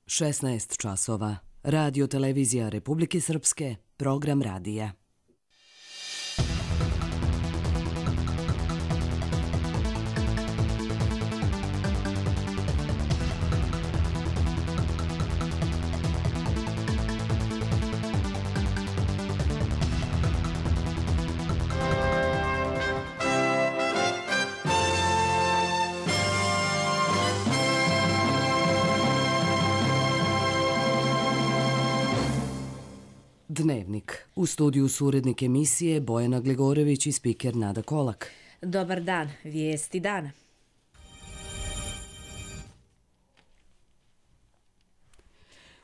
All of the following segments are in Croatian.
16 časova. Radio televizija Republike Srpske, program radija. Dnevnik. U studiju su urednik emisije Bojana Glegorević i spiker Nada Kolak. Dobar dan, vijesti dana.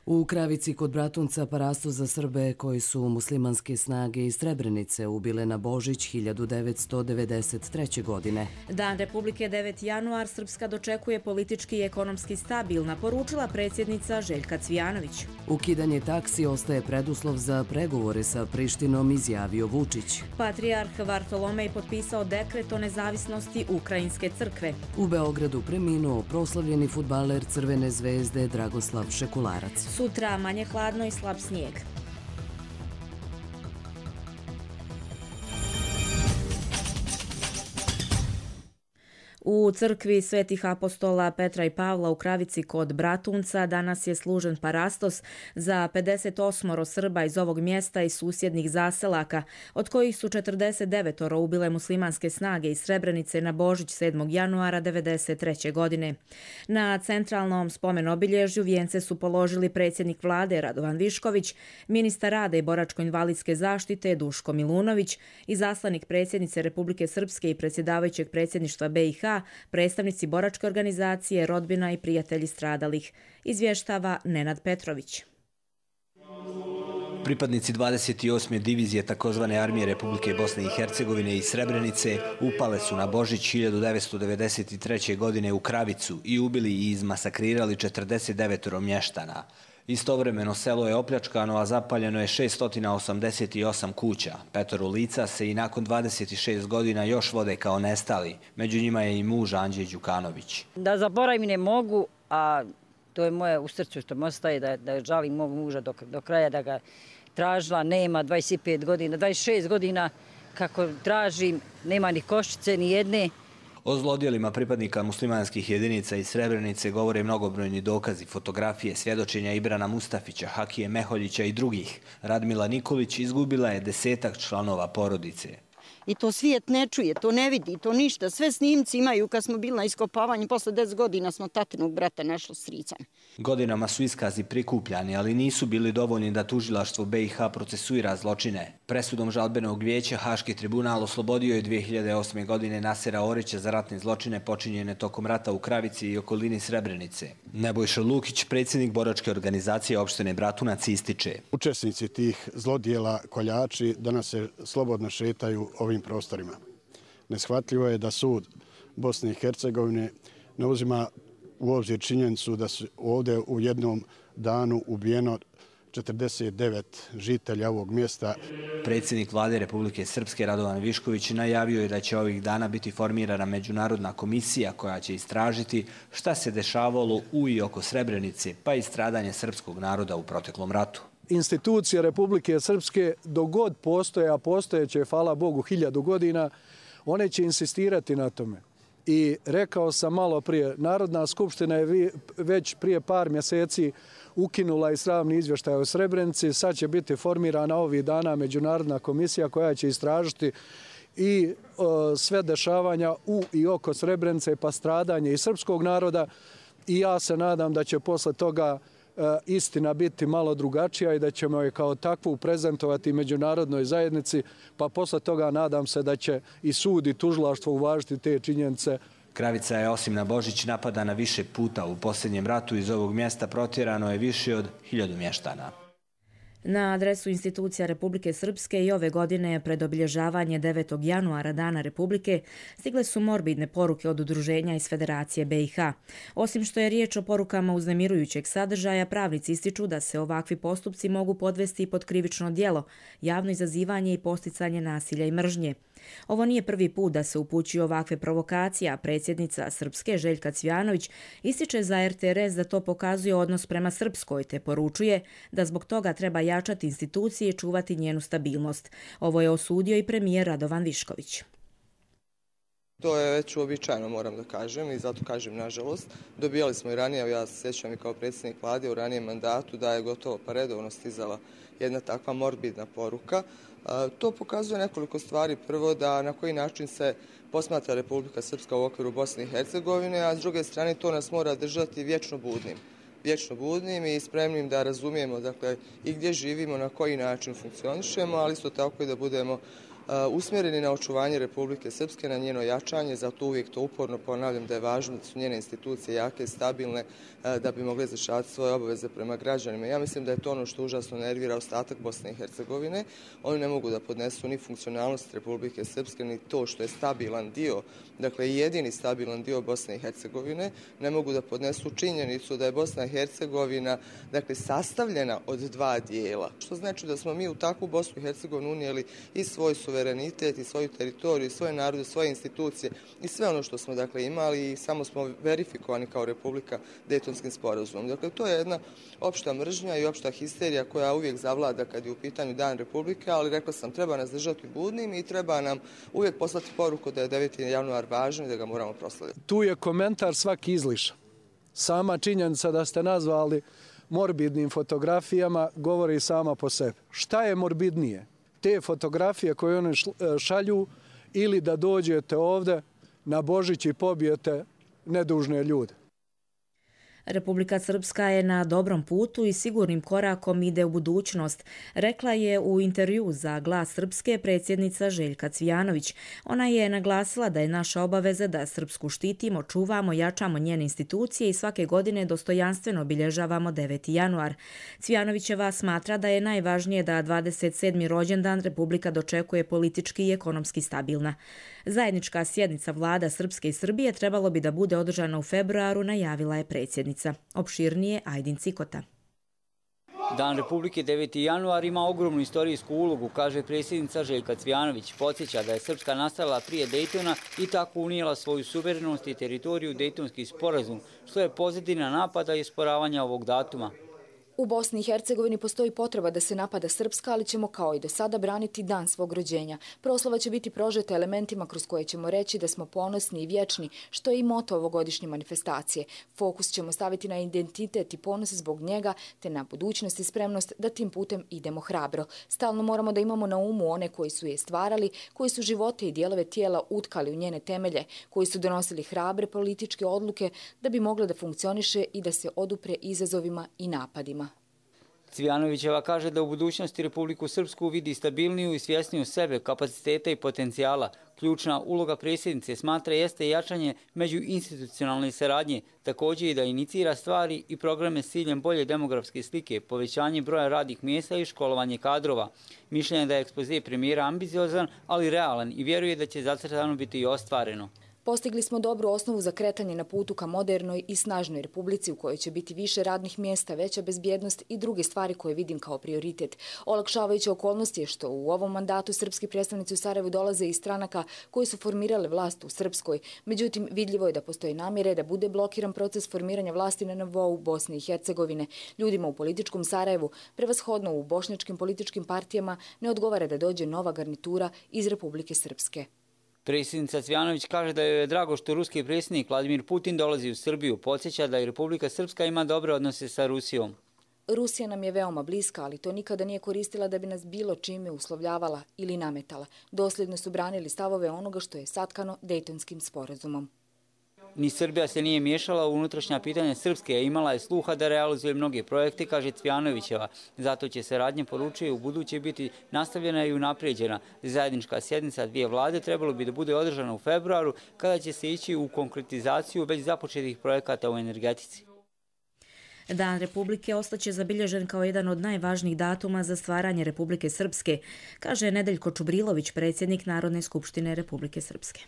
U Kravici kod Bratunca parastos za Srbe koji su muslimanske snage iz Srebrenice ubile na Božić 1993. godine. Dan Republike 9. januar Srpska dočekuje politički i ekonomski stabilna, poručila predsjednica Željka Cvijanović. Ukidanje taksi ostaje preduslov za pregovore sa Prištinom, izjavio Vučić. Patrijarh Vartolomej potpisao dekret o nezavisnosti Ukrajinske crkve. U Beogradu preminuo proslavljeni fudbaler Crvene zvezde Dragoslav Šekularac. Sutra manje hladno i slab snijeg. U crkvi Svetih apostola Petra i Pavla u Kravici kod Bratunca danas je služen parastos za 58 Srba iz ovog mjesta i susjednih zaselaka, od kojih su 49 ubile muslimanske snage iz Srebrenice na Božić 7. januara 1993. godine. Na centralnom spomen-obilježju vijence su položili predsjednik vlade Radovan Višković, ministar rada i boračko-invalidske zaštite Duško Milunović, izaslanik predsjednice Republike Srpske i predsjedavajućeg predsjedništva BiH, predstavnici boračke organizacije, rodbina i prijatelji stradalih, izvještava Nenad Petrović. Pripadnici 28. divizije takozvane armije Republike Bosne i Hercegovine iz Srebrenice upale su na Božić 1993. godine u Kravicu i ubili i izmasakrirali 49 mještana. Istovremeno selo je opljačkano, a zapaljeno je 688 kuća. 5 lica se i nakon 26 godina još vode kao nestali. Među njima je i muž Anđe Đukanović. Da zaboravim ne mogu, a to je moje u srcu što mi ostaje, da žalim mog muža do kraja, da ga tražila, nema 25 godina, 26 godina kako tražim, nema ni koščice, ni jedne. O zlodjelima pripadnika muslimanskih jedinica iz Srebrenice govore mnogobrojni dokazi, fotografije, svjedočenja Ibrana Mustafića, Hakije Meholjića i drugih. Radmila Nikolić izgubila je 10 članova porodice. I to svijet ne čuje, to ne vidi, to ništa. Sve snimci imaju kad smo bili na iskopavanju, posle 10 godina smo tatinog brata našli s stricem. Godinama su iskazi prikupljani, ali nisu bili dovoljni da tužilaštvo BiH procesuira zločine. Presudom žalbenog vijeća Haški tribunal oslobodio je 2008. godine Nasera Orića za ratne zločine počinjene tokom rata u Kravici i okolini Srebrenice. Nebojša Lukić, predsjednik boračke organizacije opštine Bratunac, ističe. Učesnici tih zlodjela, koljači, danas se slobodno šetaju ovim prostorima. Neshvatljivo je da sud Bosne i Hercegovine ne uzima u obzir činjenicu da su ovdje u jednom danu ubijeno 49 žitelja ovog mjesta. Predsjednik vlade Republike Srpske Radovan Višković najavio je da će ovih dana biti formirana međunarodna komisija koja će istražiti šta se dešavalo u i oko Srebrenice, pa i stradanje srpskog naroda u proteklom ratu. Institucije Republike Srpske, dok god postoje, a postojeće, hvala Bogu, 1000 godina, one će insistirati na tome. I rekao sam malo prije, Narodna skupština je već prije par mjeseci ukinula i sramni izvještaj o Srebrenici. Sad će biti formirana ovih dana međunarodna komisija koja će istražiti i sve dešavanja u i oko Srebrenice, pa stradanje i srpskog naroda. I ja se nadam da će posle toga istina biti malo drugačija i da ćemo je kao takvu prezentovati međunarodnoj zajednici, pa posle toga nadam se da će i sud i tužilaštvo uvažiti te činjenice. Kravica je osim na Božić napadana više puta. U posljednjem ratu iz ovog mjesta protjerano je više od 1000 mještana. Na adresu institucija Republike Srpske i ove godine pred obilježavanje 9. januara Dana Republike stigle su morbidne poruke od udruženja iz Federacije BiH. Osim što je riječ o porukama uznemirujućeg sadržaja, pravnici ističu da se ovakvi postupci mogu podvesti i pod krivično djelo, javno izazivanje i posticanje nasilja i mržnje. Ovo nije prvi put da se upućuju ovakve provokacije, a predsjednica Srpske Željka Cvijanović ističe za RTRS da to pokazuje odnos prema Srpskoj, te poručuje da zbog toga treba jačati institucije i čuvati njenu stabilnost. Ovo je osudio i premijer Radovan Višković. To je već uobičajeno, moram da kažem, i zato kažem nažalost. Dobijali smo i ranije, ja se sjećam i kao predsjednik vlade u ranijem mandatu, da je gotovo pa redovno stizala jedna takva morbidna poruka. To pokazuje nekoliko stvari. Prvo, da na koji način se posmatra Republika Srpska u okviru Bosne i Hercegovine, a s druge strane to nas mora držati vječno budnim i spremnim da razumijemo, dakle, i gdje živimo, na koji način funkcionišemo, ali isto tako i da budemo usmjereni na očuvanje Republike Srpske, na njeno jačanje. Zato uvijek to uporno ponavljam da je važno da su njene institucije jake i stabilne da bi mogle izvršavati svoje obaveze prema građanima. Ja mislim da je to ono što užasno nervira ostatak Bosne i Hercegovine. Oni ne mogu da podnesu ni funkcionalnost Republike Srpske, ni to što je stabilan dio, dakle jedini stabilan dio Bosne i Hercegovine. Ne mogu da podnesu činjenicu da je Bosna i Hercegovina, dakle, sastavljena od dva dijela. Što znači da smo mi u takvu Bosnu i Hercegovinu unijeli i svoj suverenitet i svoju teritoriju, svoje narode, svoje institucije i sve ono što smo, dakle, imali, i samo smo verifikovani kao Republika Dejtonskim sporazumom. Dakle, to je jedna opšta mržnja i opšta histerija koja uvijek zavlada kad je u pitanju Dan Republike, ali rekla sam, treba nas držati budnim i treba nam uvijek poslati poruku da je 9. januar važan i da ga moramo proslaviti. Tu je komentar svaki izlišan. Sama činjenica da ste nazvali morbidnim fotografijama govori sama po sebi. Šta je morbidnije? Te fotografije koje one šalju ili da dođete ovdje na Božić i pobijete nedužne ljude? Republika Srpska je na dobrom putu i sigurnim korakom ide u budućnost, rekla je u intervju za Glas Srpske predsjednica Željka Cvijanović. Ona je naglasila da je naša obaveza da Srpsku štitimo, čuvamo, jačamo njene institucije i svake godine dostojanstveno obilježavamo 9. januar. Cvijanovićeva smatra da je najvažnije da 27. rođendan Republika dočekuje politički i ekonomski stabilna. Zajednička sjednica vlada Srpske i Srbije trebalo bi da bude održana u februaru, najavila je predsjednica. Opširnije Ajdin Cikota. Dan Republike 9. januar ima ogromnu istorijsku ulogu, kaže predsjednica Željka Cvijanović. Podsjeća da je Srpska nastala prije Dejtona i tako unijela svoju suverenost i teritoriju Dejtonski sporazum, što je pozadina napada i osporavanja ovog datuma. U Bosni i Hercegovini postoji potreba da se napada Srpska, ali ćemo kao i do sada braniti dan svog rođenja. Proslava će biti prožeta elementima kroz koje ćemo reći da smo ponosni i vječni, što je i moto ovogodišnje manifestacije. Fokus ćemo staviti na identitet i ponos zbog njega, te na budućnost i spremnost da tim putem idemo hrabro. Stalno moramo da imamo na umu one koji su je stvarali, koji su živote i dijelove tijela utkali u njene temelje, koji su donosili hrabre političke odluke da bi mogla da funkcioniše i da se odupre izazovima i napadima. Cvijanovićeva kaže da u budućnosti Republiku Srpsku vidi stabilniju i svjesniju sebe, kapaciteta i potencijala. Ključna uloga predsjednice smatra jeste jačanje međuinstitucionalne saradnje, također i da inicira stvari i programe s ciljem bolje demografske slike, povećanje broja radnih mjesta i školovanje kadrova. Mišljenje je da je ekspoze premijera ambiciozan, ali realan i vjeruje da će zacrtano biti i ostvareno. Postigli smo dobru osnovu za kretanje na putu ka modernoj i snažnoj republici u kojoj će biti više radnih mjesta, veća bezbjednost i druge stvari koje vidim kao prioritet. Olakšavajuća okolnost je što u ovom mandatu srpski predstavnici u Sarajevu dolaze iz stranaka koji su formirale vlast u Srpskoj. Međutim, vidljivo je da postoji namjere da bude blokiran proces formiranja vlasti na nivou Bosne i Hercegovine. Ljudima u političkom Sarajevu, prevashodno u bošnjačkim političkim partijama, ne odgovara da dođe nova garnitura iz Republike Srpske. Predsjednica Cvijanović kaže da joj je drago što ruski predsjednik Vladimir Putin dolazi u Srbiju. Podsjeća da i Republika Srpska ima dobre odnose sa Rusijom. Rusija nam je veoma bliska, ali to nikada nije koristila da bi nas bilo čime uslovljavala ili nametala. Dosljedno su branili stavove onoga što je satkano Dejtonskim sporazumom. Ni Srbija se nije miješala u unutrašnja pitanja Srpske, a imala je sluha da realizuje mnoge projekte, kaže Cvijanovićeva. Zato će saradnja, poručuje, u buduće biti nastavljena i unaprijeđena. Zajednička sjednica dvije vlade trebalo bi da bude održana u februaru, kada će se ići u konkretizaciju već započetih projekata u energetici. Dan Republike ostaće zabilježen kao jedan od najvažnijih datuma za stvaranje Republike Srpske, kaže Nedeljko Čubrilović, predsjednik Narodne skupštine Republike Srpske.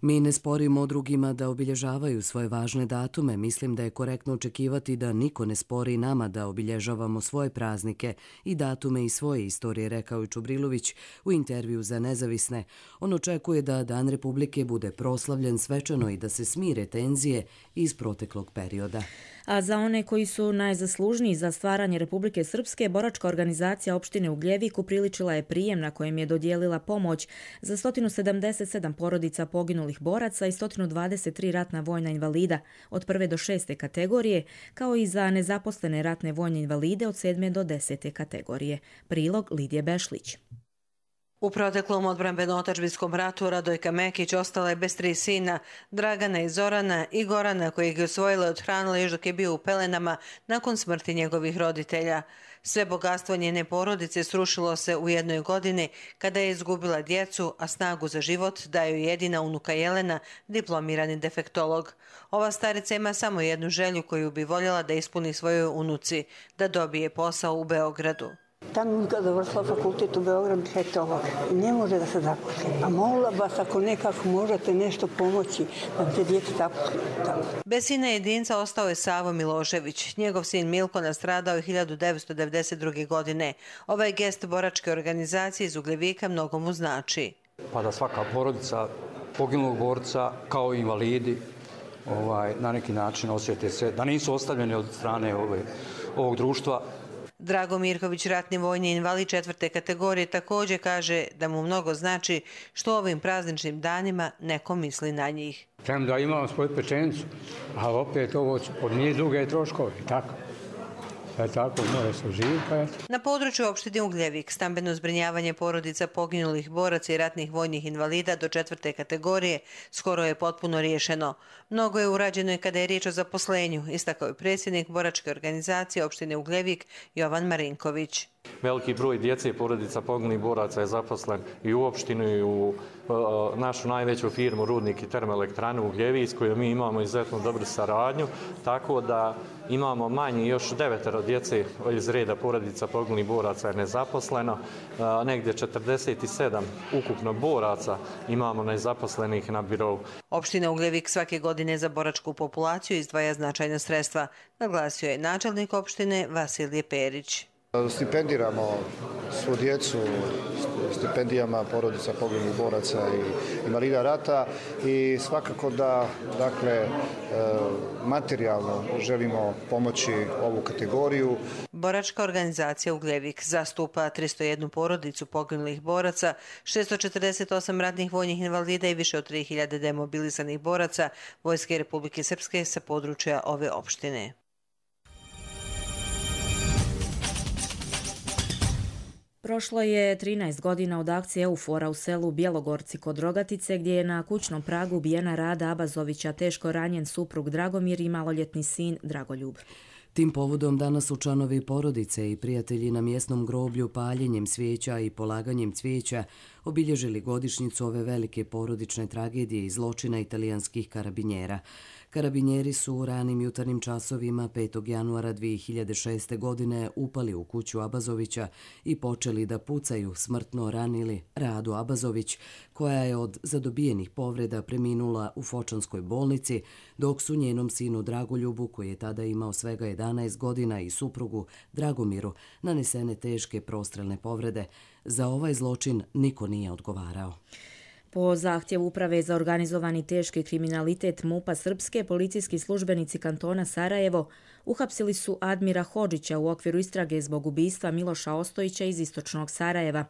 Mi ne sporimo drugima da obilježavaju svoje važne datume. Mislim da je korektno očekivati da niko ne spori nama da obilježavamo svoje praznike i datume iz svoje istorije, rekao je Čubrilović u intervju za Nezavisne. On očekuje da Dan Republike bude proslavljen svečano i da se smire tenzije iz proteklog perioda. A za one koji su najzaslužniji za stvaranje Republike Srpske, boračka organizacija opštine Ugljevik upriličila je prijem na kojem je dodijelila pomoć za 177 porodica poginulih boraca i 123 ratna vojna invalida od 1. do 6. kategorije, kao i za nezaposlene ratne vojne invalide od 7. do 10. kategorije. Prilog Lidije Bešlić. U proteklom odbrambeno-otadžbinskom ratu Radojka Mekić ostala je bez 3 sina, Dragana i Zorana, i Gorana, kojeg je osvojila i odhranila još dok je bio u pelenama nakon smrti njegovih roditelja. Sve bogatstvo njene porodice srušilo se u jednoj godini kada je izgubila djecu, a snagu za život daju jedina unuka Jelena, diplomirani defektolog. Ova starica ima samo jednu želju koju bi voljela da ispuni svojoj unuci, da dobije posao u Beogradu. Ta nutka završila fakultet u Beogradu defektolog i ne može da se zaposli. Pa molila vas ako nekako možete nešto pomoći da te djece zaposli. Bez sina jedinca ostao je Savo Milošević. Njegov sin Milko nastradao je 1992. godine. Ovaj gest boračke organizacije iz Ugljevika mnogo mu znači. Pa da svaka porodica poginulog borca kao i invalidi na neki način osjete se, da nisu ostavljeni od strane ovog društva. Drago Mirković, ratni vojni invalid 4. kategorije, također kaže da mu mnogo znači što ovim prazničnim danima neko misli na njih. Premda imam svoju pečenicu, ali opet ovo od nije duge troškovi, tako. Tako, mora se uživati. Na području opštine Ugljevik stambeno zbrinjavanje porodica poginulih boraca i ratnih vojnih invalida do 4. kategorije skoro je potpuno riješeno. Mnogo je urađeno i kada je riječ o zaposlenju, istakao je predsjednik boračke organizacije opštine Ugljevik Jovan Marinković. Veliki broj djece i porodica poginulih boraca je zaposlen i u opštinu i u našu najveću firmu Rudnik i termoelektranu Ugljevik s kojom mi imamo izuzetno dobru saradnju, tako da imamo manje još 9 djece iz reda porodica poginulih boraca je nezaposleno, negdje 47 ukupno boraca imamo nezaposlenih na birou. Opština Ugljevik svake godine za boračku populaciju izdvaja značajna sredstva, naglasio je načelnik opštine Vasilije Perić. Stipendiramo svu djecu stipendijama porodica poginulih boraca i invalida rata i svakako da materijalno želimo pomoći ovu kategoriju. Boračka organizacija Ugljevik zastupa 301 porodicu poginulih boraca, 648 ratnih vojnih invalida i više od 3000 demobilisanih boraca Vojske Republike Srpske sa područja ove opštine. Prošlo je 13 godina od akcije Eufora u selu Bjelogorci kod Rogatice, gdje je na kućnom pragu ubijena Rada Abazovića, teško ranjen suprug Dragomir i maloljetni sin Dragoljub. Tim povodom danas su članovi porodice i prijatelji na mjesnom groblju paljenjem svijeća i polaganjem cvijeća obilježili godišnjicu ove velike porodične tragedije i zločina italijanskih karabinjera. Karabinjeri su u ranim jutarnjim časovima 5. januara 2006. godine upali u kuću Abazovića i počeli da pucaju, smrtno ranili Radu Abazović, koja je od zadobijenih povreda preminula u Fočanskoj bolnici, dok su njenom sinu Dragoljubu, koji je tada imao svega 11 godina, i suprugu Dragomiru nanesene teške prostrelne povrede. Za ovaj zločin niko nije odgovarao. Po zahtjevu Uprave za organizovani teški kriminalitet MUP-a Srpske, policijski službenici kantona Sarajevo uhapsili su Admira Hodžića u okviru istrage zbog ubistva Miloša Ostojića iz istočnog Sarajeva.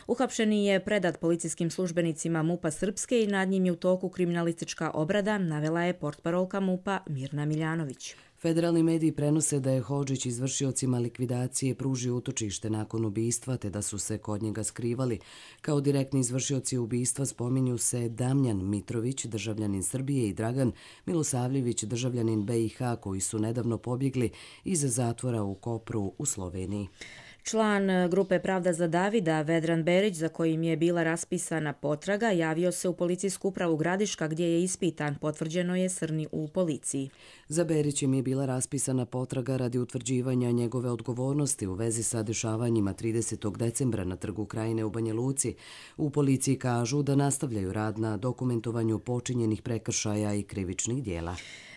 Uhapšeni je predat policijskim službenicima MUP-a Srpske i nad njim je u toku kriminalistička obrada, navela je portparolka MUP-a Mirna Miljanović. Federalni mediji prenose da je Hodžić izvršiocima likvidacije pružio utočište nakon ubistva, te da su se kod njega skrivali. Kao direktni izvršioci ubistva spominju se Damljan Mitrović, državljanin Srbije, i Dragan Milosavljević, državljanin BiH, koji su nedavno pobjegli iz zatvora u Kopru u Sloveniji. Član grupe Pravda za Davida, Vedran Berić, za kojim je bila raspisana potraga, javio se u policijsku upravu Gradiška gdje je ispitan, potvrđeno je Srni u policiji. Za Berićem je bila raspisana potraga radi utvrđivanja njegove odgovornosti u vezi sa dešavanjima 30. decembra na Trgu Krajine u Banja Luci. U policiji kažu da nastavljaju rad na dokumentovanju počinjenih prekršaja i krivičnih dijela.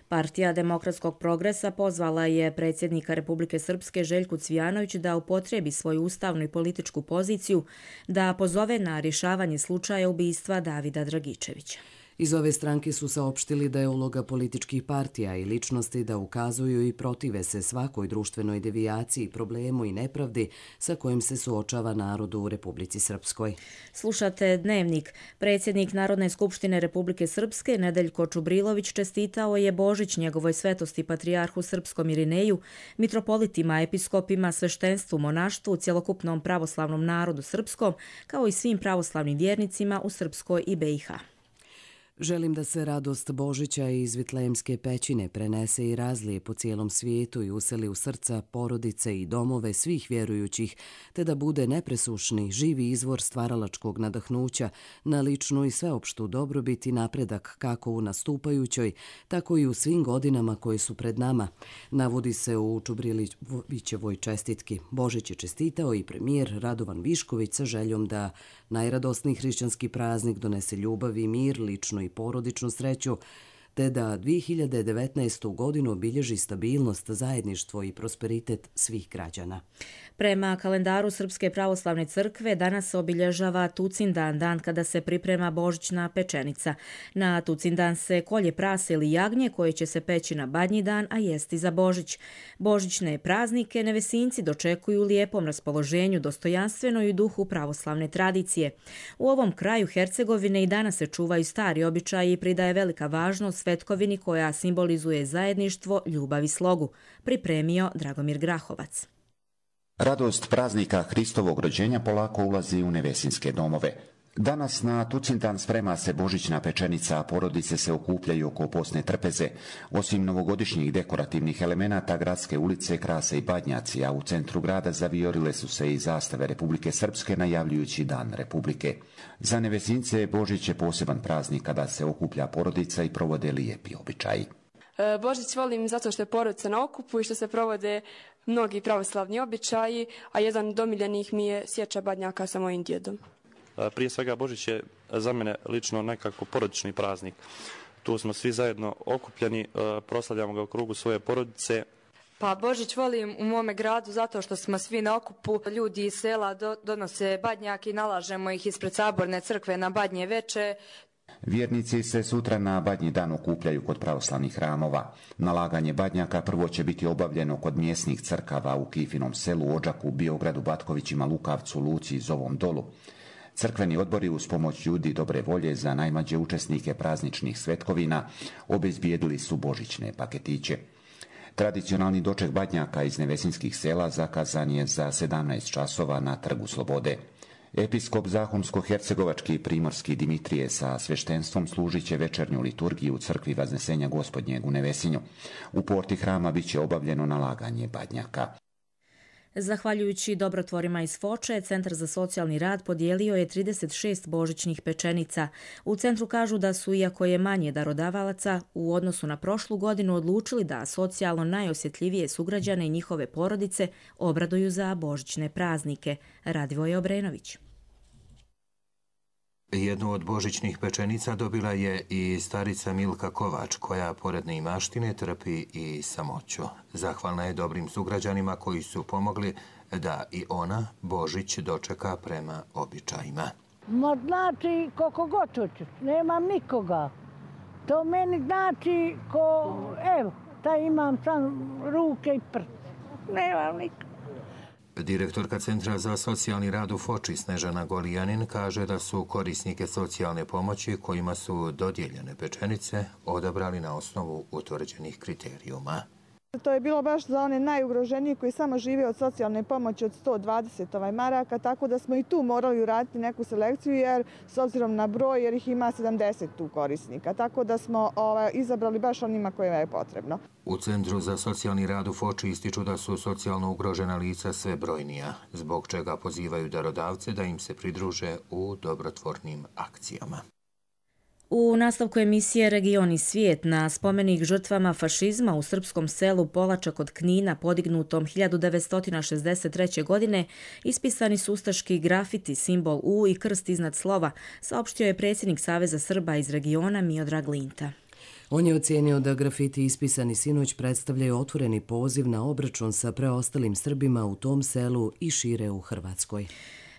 Partija Demokratskog progresa pozvala je predsjednika Republike Srpske Željku Cvijanović da upotrebi svoju ustavnu i političku poziciju da pozove na rješavanje slučaja ubistva Davida Dragičevića. Iz ove stranke su saopštili da je uloga političkih partija i ličnosti da ukazuju i protive se svakoj društvenoj devijaciji, problemu i nepravdi sa kojim se suočava narod u Republici Srpskoj. Slušate Dnevnik. Predsjednik Narodne skupštine Republike Srpske Nedeljko Čubrilović čestitao je Božić njegovoj svetosti patrijarhu srpskom Irineju, mitropolitima, episkopima, sveštenstvu, monaštvu, cjelokupnom pravoslavnom narodu srpskom, kao i svim pravoslavnim vjernicima u Srpskoj i BiH. Želim da se radost Božića iz Vitlejemske pećine prenese i razlije po cijelom svijetu i useli u srca, porodice i domove svih vjerujućih, te da bude nepresušni, živi izvor stvaralačkog nadahnuća na ličnu i sveopštu dobrobit i napredak kako u nastupajućoj, tako i u svim godinama koje su pred nama, navodi se u Čubrilićevoj čestitki. Božić je čestitao i premijer Radovan Višković sa željom da najradosniji hrišćanski praznik donese ljubav i mir, ličnu i porodičnu sreću, te da 2019. godinu obilježi stabilnost, zajedništvo i prosperitet svih građana. Prema kalendaru Srpske pravoslavne crkve danas se obilježava Tucindan, dan kada se priprema božićna pečenica. Na Tucindan se kolje prase ili jagnje koje će se peći na Badnji dan, a jesti za Božić. Božićne praznike Nevesinci dočekuju u lijepom raspoloženju, dostojanstveno i u duhu pravoslavne tradicije. U ovom kraju Hercegovine i danas se čuvaju stari običaji i pridaje velika važnost svetkovini koja simbolizuje zajedništvo, ljubav i slogu. Pripremio Dragomir Grahovac. Radost praznika Hristovog rođenja polako ulazi u nevesinske domove. Danas na Tucindan sprema se božićna pečenica, a porodice se okupljaju oko posne trpeze. Osim novogodišnjih dekorativnih elemenata, gradske ulice krase i badnjaci, a u centru grada zaviorile su se i zastave Republike Srpske najavljujući Dan Republike. Za Nevesince Božić je poseban praznik kada se okuplja porodica i provode lijepi običaji. Božić volim zato što je porodica na okupu i što se provode mnogi pravoslavni običaji, a jedan od omiljenih mi je sječa badnjaka sa mojim djedom. Prije svega Božić je za mene lično nekako porodični praznik. Tu smo svi zajedno okupljeni, proslavljamo ga u krugu svoje porodice. Pa Božić volim u mome gradu zato što smo svi na okupu. Ljudi iz sela donose badnjake i nalažemo ih ispred saborne crkve na badnje veče. Vjernici se sutra na Badnji dan okupljaju kod pravoslavnih hramova. Nalaganje badnjaka prvo će biti obavljeno kod mjesnih crkava u Kifinom selu, Odžaku, Biogradu, Batkovićima, Lukavcu, Luci i Zovom Dolu. Crkveni odbori uz pomoć ljudi dobre volje za najmlađe učesnike prazničnih svetkovina obezbijedili su božićne paketiće. Tradicionalni doček badnjaka iz nevesinskih sela zakazan je za 17 časova na Trgu Slobode. Episkop Zahumsko-hercegovački i primorski Dimitrije sa sveštenstvom služit će večernju liturgiju u crkvi Vaznesenja Gospodnjeg u Nevesinju. U porti hrama bit će obavljeno nalaganje badnjaka. Zahvaljujući dobrotvorima iz Foče, Centar za socijalni rad podijelio je 36 božićnih pečenica. U centru kažu da su, iako je manje darodavalaca, u odnosu na prošlu godinu odlučili da socijalno najosjetljivije sugrađane i njihove porodice obraduju za božićne praznike. Radivoje Obrenović. Jednu od božićnih pečenica dobila je i starica Milka Kovač, koja pored neimaštine trpi i samoću. Zahvalna je dobrim sugrađanima koji su pomogli da i ona Božić dočeka prema običajima. Ma znači koliko god hoću, nemam nikoga. To meni znači evo, taj imam sam ruke i prst. Nemam nikoga. Direktorka Centra za socijalni rad u Foči Snežana Golijanin kaže da su korisnike socijalne pomoći kojima su dodijeljene pečenice odabrali na osnovu utvrđenih kriterijuma. To je bilo baš za one najugroženije koji samo žive od socijalne pomoći od 120 maraka, tako da smo i tu morali uraditi neku selekciju jer s obzirom na broj, jer ih ima 70 tu korisnika, tako da smo izabrali baš onima kojima je potrebno. U Centru za socijalni rad u Foči ističu da su socijalno ugrožena lica sve brojnija, zbog čega pozivaju darodavce da im se pridruže u dobrotvornim akcijama. U nastavku emisije Region i svijet na spomenik žrtvama fašizma u srpskom selu Polača kod Knina podignutom 1963. godine ispisani su ustaški grafiti, simbol U i krst iznad slova, saopštio je predsjednik Saveza Srba iz regiona Miodrag Linta. On je ocijenio da grafiti ispisani sinoć predstavljaju otvoreni poziv na obračun sa preostalim Srbima u tom selu i šire u Hrvatskoj.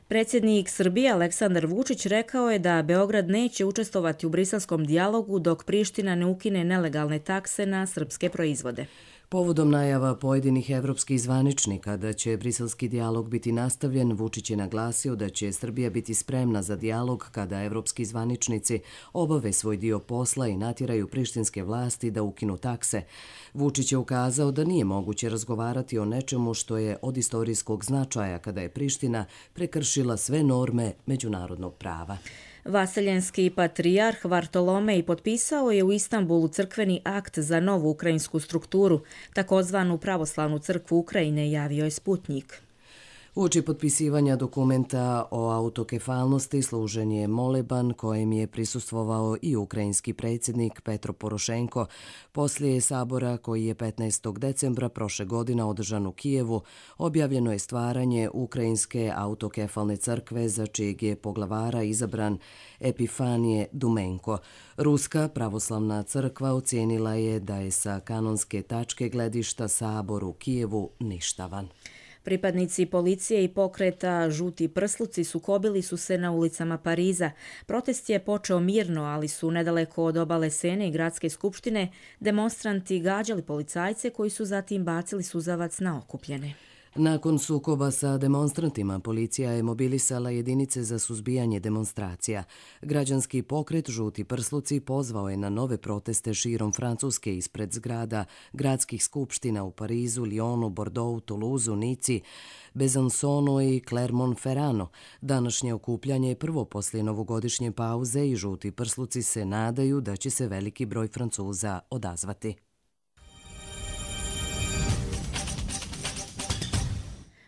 Predsjednik Srbije Aleksandar Vučić rekao je da Beograd neće učestvovati u briselskom dijalogu dok Priština ne ukine nelegalne takse na srpske proizvode. Povodom najava pojedinih evropskih zvaničnika da će briselski dijalog biti nastavljen, Vučić je naglasio da će Srbija biti spremna za dijalog kada evropski zvaničnici obave svoj dio posla i natjeraju prištinske vlasti da ukinu takse. Vučić je ukazao da nije moguće razgovarati o nečemu što je od istorijskog značaja kada je Priština prekršila sve norme međunarodnog prava. Vaseljenski patrijarh Vartolomej potpisao je u Istanbulu crkveni akt za novu ukrajinsku strukturu, takozvanu pravoslavnu crkvu Ukrajine, javio je Sputnjik. Uoči potpisivanja dokumenta o autokefalnosti služen je moleban kojem je prisustvovao i ukrajinski predsjednik Petro Porošenko. Poslije sabora koji je 15. decembra prošle godine održan u Kijevu, objavljeno je stvaranje Ukrajinske autokefalne crkve za čijeg je poglavara izabran Epifanije Dumenko. Ruska pravoslavna crkva ocijenila je da je sa kanonske tačke gledišta sabor u Kijevu ništavan. Pripadnici policije i pokreta Žuti prsluci sukobili su se na ulicama Pariza. Protest je počeo mirno, ali su nedaleko od obale Sene i gradske skupštine demonstranti gađali policajce koji su zatim bacili suzavac na okupljene. Nakon sukoba sa demonstrantima, policija je mobilisala jedinice za suzbijanje demonstracija. Građanski pokret Žuti prsluci pozvao je na nove proteste širom Francuske ispred zgrada gradskih skupština u Parizu, Lyonu, Bordeauxu, Toulouseu, Nici, Besançonu i Clermont-Ferranu. Današnje okupljanje je prvo poslije novogodišnje pauze i Žuti prsluci se nadaju da će se veliki broj Francuza odazvati.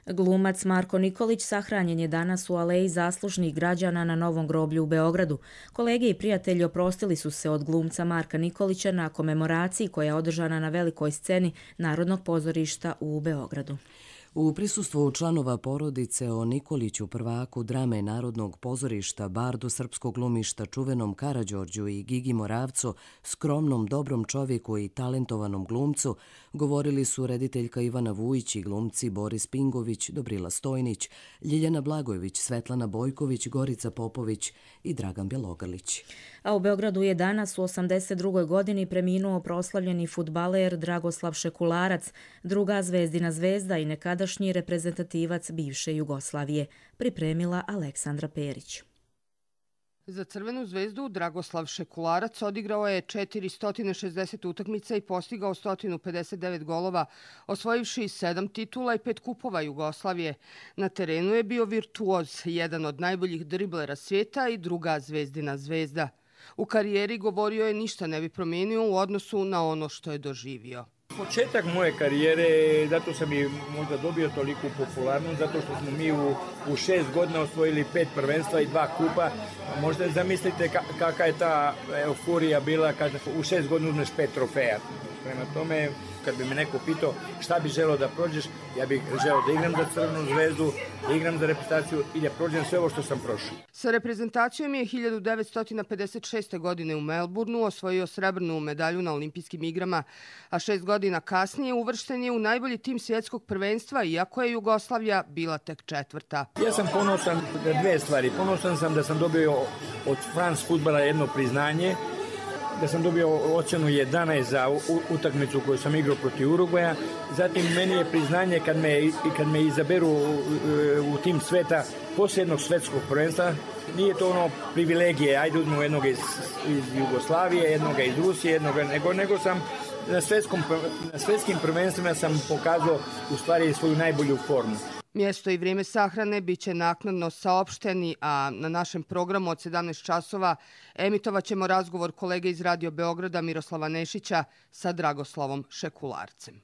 Glumac Marko Nikolić sahranjen je danas u aleji zaslužnih građana na Novom groblju u Beogradu. Kolege i prijatelji oprostili su se od glumca Marka Nikolića na komemoraciji koja je održana na velikoj sceni Narodnog pozorišta u Beogradu. U prisustvu članova porodice o Nikoliću, prvaku drame Narodnog pozorišta, bardu srpskog glumišta, čuvenom Karađorđu i Gigi Moravcu, skromnom, dobrom čovjeku i talentovanom glumcu, govorili su rediteljka Ivana Vujić i glumci Boris Pingović, Dobrila Stojnić, Ljiljana Blagojević, Svetlana Bojković, Gorica Popović i Dragan Bjelogrlić. A u Beogradu je danas u 82. godini preminuo proslavljeni fudbaler Dragoslav Šekularac, druga Zvezdina zvezda i nekadašnji reprezentativac bivše Jugoslavije, pripremila Aleksandra Perić. Za Crvenu zvezdu Dragoslav Šekularac odigrao je 460 utakmica i postigao 159 golova, osvojivši 7 titula i 5 kupova Jugoslavije. Na terenu je bio virtuoz, jedan od najboljih driblera svijeta i druga Zvezdina zvezda. U karijeri, govorio je, ništa ne bi promijenio u odnosu na ono što je doživio. Početak moje karijere, zato sam i možda dobio toliku popularnost, zato što smo mi u 6 godina osvojili 5 prvenstva i 2 kupa. Možda zamislite kakva je ta euforija bila kada u 6 godina uzmeš 5 trofeja. Prema tome, kad bi me neko pitao šta bi želeo da prođeš, ja bih želeo da igram za Crvenu zvezdu, da igram za reprezentaciju i da prođem sve ovo što sam prošao. Sa reprezentacijom je 1956. godine u Melbourneu osvojio srebrnu medalju na olimpijskim igrama, a 6 godina kasnije uvršten je u najbolji tim svjetskog prvenstva, iako je Jugoslavija bila tek 4. Ja sam ponosan na 2 stvari. Ponosan sam da sam dobio od France Futbala jedno priznanje da sam dobio ocjenu 11 za utakmicu koju sam igrao protiv Urugvaja. Zatim meni je priznanje kad me izaberu u tim sveta poslije jednog svetskog prvenstva. Nije to ono privilegije, ajde uzmemo jednog iz Jugoslavije, jednog iz Rusije, nego sam na svetskim prvenstvima sam pokazao u stvari svoju najbolju formu. Mjesto i vrijeme sahrane bit će naknadno saopšteni, a na našem programu od 17 časova emitovat ćemo razgovor kolege iz Radio Beograda Miroslava Nešića sa Dragoslavom Šekularcem.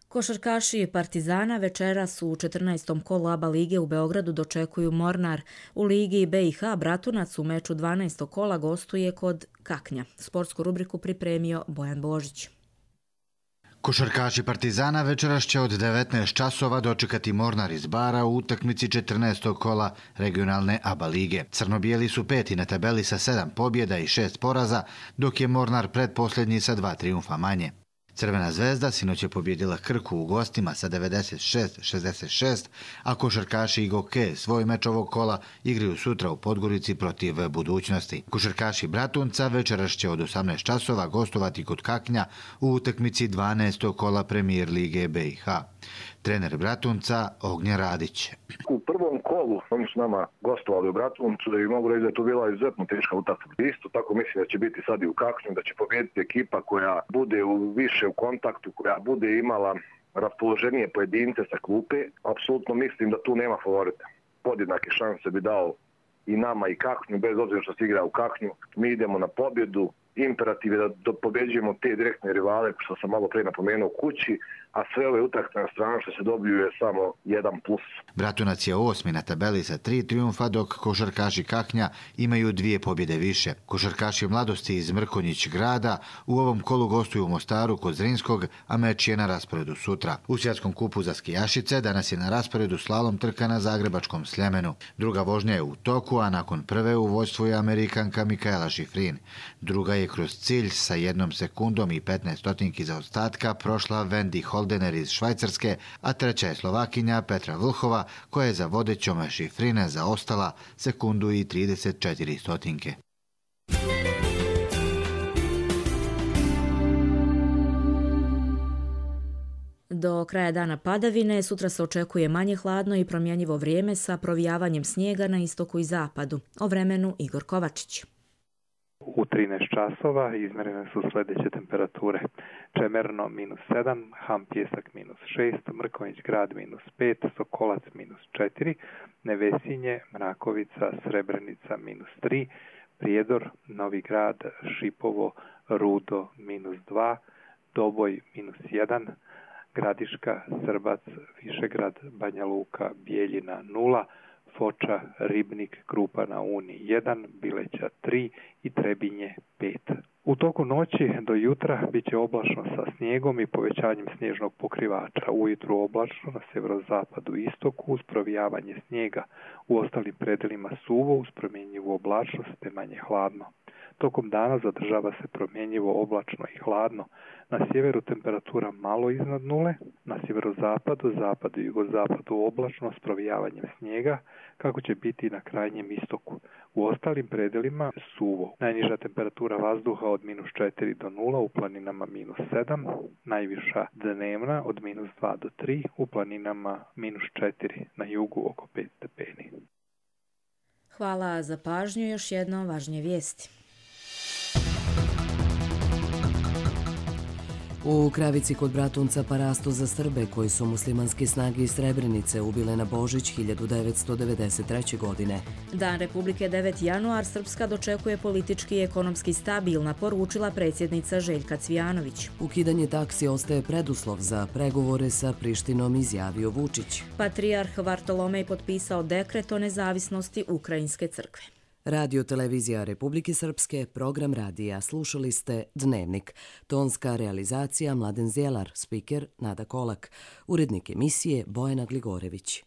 Košarkaši Partizana večeras u 14. kolu ABA lige u Beogradu dočekuju Mornar. U ligi BiH Bratunac u meču 12. kola gostuje kod Kaknja. Sportsku rubriku pripremio Bojan Božić. Košarkaši Partizana večeras će od 19 časova dočekati Mornar iz Bara u utakmici 14. kola regionalne ABA lige. Crno-bijeli su peti na tabeli sa 7 pobjeda i 6 poraza, dok je Mornar predposljednji sa 2 trijumfa manje. Crvena zvezda sinoć je pobjedila Krku u gostima sa 96-66, a košarkaši Igoke svoj meč ovog kola igraju sutra u Podgorici protiv Budućnosti. Košarkaši Bratunca večeras će od 18 časova gostovati kod Kaknja u utakmici 12. kola Premier lige BiH. Trener Bratunca Ognjen Radić. U prvom kolu oni su nama gostovali u Bratuncu i mogu reći da je to bila izuzetno teška utakmica. Isto tako mislim da će biti sad i u Kaknju, da će pobijediti ekipa koja bude više u kontaktu, koja bude imala raspoloženije pojedince sa klupe. Apsolutno mislim da tu nema favorita. Podjednake šanse bi dao i nama i Kaknju, bez obzira što se igra u Kaknju. Mi idemo na pobjedu. Imperativ je da pobjeđujemo te direktne rivale, što sam malo prije napomenuo, kući, a sve ove utakmice na stranu što se dobiju je samo 1+. Bratunac je 8. na tabeli sa 3 trijumfa, dok košarkaši Kaknja imaju 2 pobjede više. Košarkaši Mladosti iz Mrkonjić grada u ovom kolu gostuju u Mostaru kod Zrinskog, a meč je na rasporedu sutra. U svjetskom kupu za skijašice danas je na rasporedu slalom trka na zagrebačkom Sljemenu. Druga vožnja je u toku, a nakon prve u vođstvu je Amerikanka Mikaela Šifrin. Druga je kroz cilj sa 1 sekundom i 15 stotinki zaostatka prošla Wendy Holdener iz Švajcarske, a treća je Slovakinja Petra Vlhova, koja je za vodećom Šifrine zaostala sekundu i 34 stotinke. Do kraja dana padavine, sutra se očekuje manje hladno i promjenjivo vrijeme sa provijavanjem snijega na istoku i zapadu. O vremenu Igor Kovačić. U 13 časova izmjerene su sljedeće temperature. Čemerno -7, Ham Pjesak -6, Mrkonjić grad -5, Sokolac -4, Nevesinje, Mrakovica, Srebrenica -3, Prijedor, Novi grad, Šipovo, Rudo -2, Doboj -1, Gradiška, Srbac, Višegrad, Banja Luka, Bijeljina 0, Foča, Ribnik, Krupa na Uni 1, Bileća 3 i Trebinje 5. U toku noći do jutra bit će oblačno sa snijegom i povećanjem snježnog pokrivača. Ujutru oblačno na sjeverozapadu i istoku uz provijavanje snijega. U ostalim predelima suvo uz promjenjivu oblačnost te manje hladno. Tokom dana zadržava se promjenjivo oblačno i hladno. Na sjeveru temperatura malo iznad nule, na sjeverozapadu, zapadu i jugozapadu oblačno s provijavanjem snijega, kako će biti i na krajnjem istoku. U ostalim predelima suvo. Najniža temperatura vazduha od -4 do 0, u planinama -7, najviša dnevna od -2 do 3, u planinama -4, na jugu oko 5 stepeni. Hvala za pažnju, još jedno važnije vijesti. U Kravici kod Bratunca parasto za Srbe koji su muslimanske snage iz Srebrenice ubile na Božić 1993. godine. Dan Republike 9. januar Srpska dočekuje politički i ekonomski stabilna, poručila predsjednica Željka Cvijanović. Ukidanje taksi ostaje preduslov za pregovore sa Prištinom, izjavio Vučić. Patrijarh Vartolomej potpisao dekret o nezavisnosti Ukrajinske crkve. Radio Televizija Republike Srpske, program radija. Slušali ste Dnevnik. Tonska realizacija Mladen Zjelar, spiker Nada Kolak. Urednik emisije Bojana Gligorević.